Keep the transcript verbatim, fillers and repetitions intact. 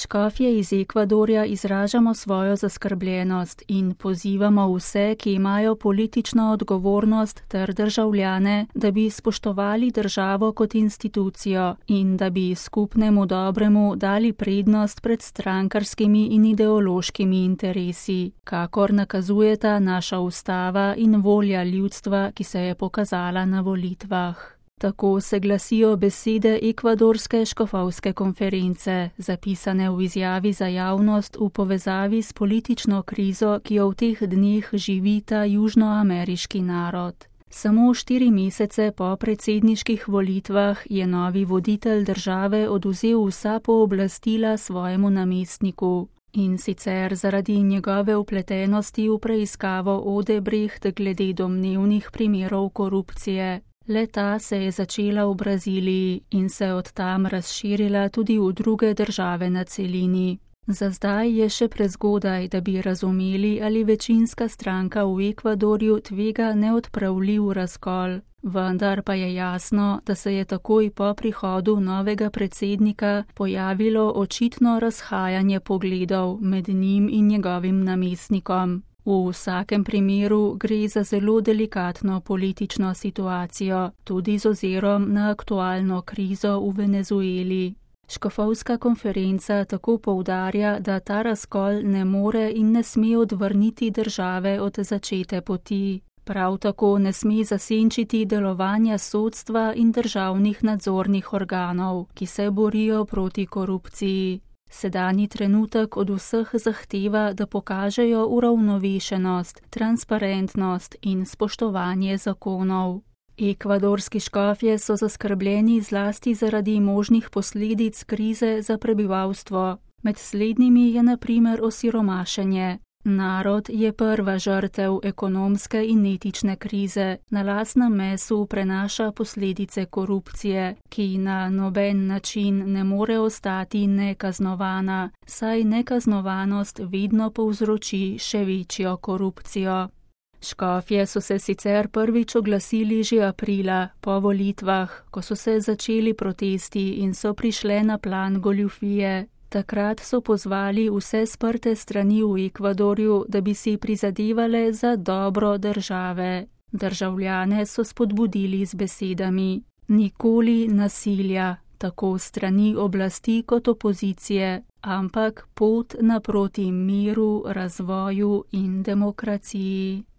Škofje iz Ekvadorja izražamo svojo zaskrbljenost in pozivamo vse, ki imajo politično odgovornost ter državljane, da bi spoštovali državo kot institucijo in da bi skupnemu dobremu dali prednost pred strankarskimi in ideološkimi interesi, kakor nakazujeta naša ustava in volja ljudstva, ki se je pokazala na volitvah. Tako se glasijo besede ekvadorske škofovske konference, zapisane v izjavi za javnost v povezavi s politično krizo, ki jo v teh dneh živi ta južnoameriški narod. Samo štiri mesece po predsedniških volitvah je novi voditelj države odvzel vsa pooblastila svojemu namestniku. In sicer zaradi njegove vpletenosti v preiskavo Odebrecht glede domnevnih primerov korupcije. Le-ta se je začela v Braziliji in se od tam razširila tudi v druge države na celini. Za zdaj je še prezgodaj, da bi razumeli, ali večinska stranka v Ekvadorju tvega neodpravljiv razkol. Vendar pa je jasno, da se je takoj po prihodu novega predsednika pojavilo očitno razhajanje pogledov med njim in njegovim namestnikom. V vsakem primeru gre za zelo delikatno politično situacijo, tudi z ozirom na aktualno krizo v Venezueli. Škofovska konferenca tako poudarja, da ta razkol ne more in ne sme odvrniti države od začete poti. Prav tako ne sme zasenčiti delovanja sodstva in državnih nadzornih organov, ki se borijo proti korupciji. Sedanji trenutek od vseh zahteva, da pokažejo uravnovešenost, transparentnost in spoštovanje zakonov. Ekvadorski škofje so zaskrbljeni zlasti zaradi možnih posledic krize za prebivalstvo. Med slednjimi je na primer osiromašenje. Narod je prva žrtev ekonomske in etične krize, na lastnem mesu prenaša posledice korupcije, ki na noben način ne more ostati nekaznovana, saj nekaznovanost vedno povzroči še večjo korupcijo. Škofje so se sicer prvič oglasili že aprila, po volitvah, ko so se začeli protesti in so prišle na plan goljufije. Takrat so pozvali vse sprte strani v Ekvadorju, da bi si prizadevale za dobro države. Državljane so spodbudili z besedami: nikoli nasilja, tako strani oblasti kot opozicije, ampak pot naproti miru, razvoju in demokraciji.